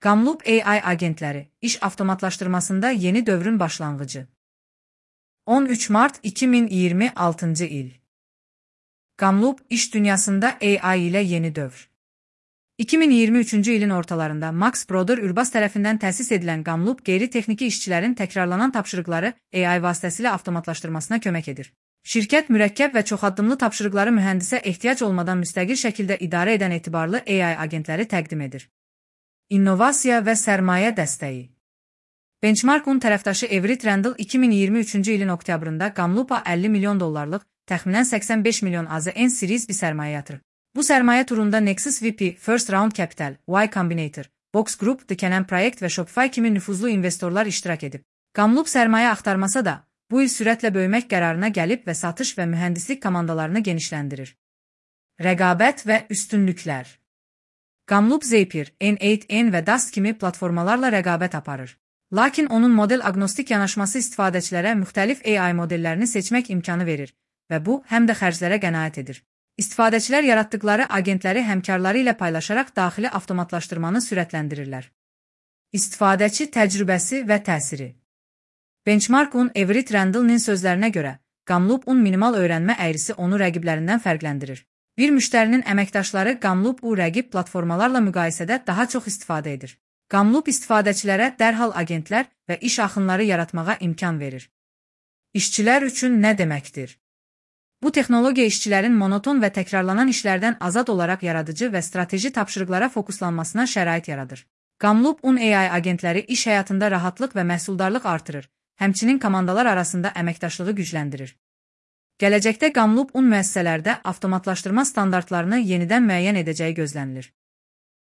Kamloop AI agentləri, iş avtomatlaşdırmasında yeni dövrün başlanğıcı. 13 Mart 2026 il. Kamloop, iş dünyasında AI ilə yeni dövr. 2023-cü ilin ortalarında Max Broder Urbas tərəfindən təsis edilən Kamloop, qeyri-texniki işçilərin təkrarlanan tapşırıqları AI vasitəsilə avtomatlaşdırmasına kömək edir. Şirkət mürəkkəb və çoxaddımlı tapşırıqları mühəndisə ehtiyac olmadan müstəqil şəkildə idarə edən etibarlı AI agentləri təqdim edir. İnnovasiya və sərmayə dəstəyi. Benchmark-un tərəfdaşı Everett Randall 2023-cü ilin oktyabrında Kamloop-a $50 milyon, təxminən 85 milyon AZN Series bir sərmayə yatırıb. Bu sərmayə turunda Nexus VP, First Round Capital, Y Combinator, Box Group, The Canon Project və Shopify kimi nüfuzlu investorlar iştirak edib. Kamloop sərmayə axtarmasa da, bu il sürətlə böyümək qərarına gəlib və satış və mühəndislik komandalarını genişləndirir. Rəqabət və üstünlüklər. Kamloop Zapier, N8N və Dust kimi platformalarla rəqabət aparır. Lakin onun model agnostik yanaşması istifadəçilərə müxtəlif AI modellərini seçmək imkanı verir və bu, həm də xərclərə qənaət edir. İstifadəçilər yaratdıqları agentləri həmkarları ilə paylaşaraq daxili avtomatlaşdırmanı sürətləndirirlər. İstifadəçi təcrübəsi və təsiri. Benchmark-un Everett Randall'nin sözlərinə görə, Kamloop-un minimal öyrənmə əyrisi onu rəqiblərindən fərqləndirir. Bir müştərinin əməkdaşları Kamloop-u rəqib platformalarla müqayisədə daha çox istifadə edir. Kamloop istifadəçilərə dərhal agentlər və iş axınları yaratmağa imkan verir. İşçilər üçün nə deməkdir? Bu texnologiya işçilərin monoton və təkrarlanan işlərdən azad olaraq yaradıcı və strateji tapşırıqlara fokuslanmasına şərait yaradır. Kamloop-un AI agentləri iş həyatında rahatlıq və məhsuldarlıq artırır, həmçinin komandalar arasında əməkdaşlığı gücləndirir. Gələcəkdə Kamloop-un müəssisələrdə avtomatlaşdırma standartlarını yenidən müəyyən edəcəyi gözlənilir.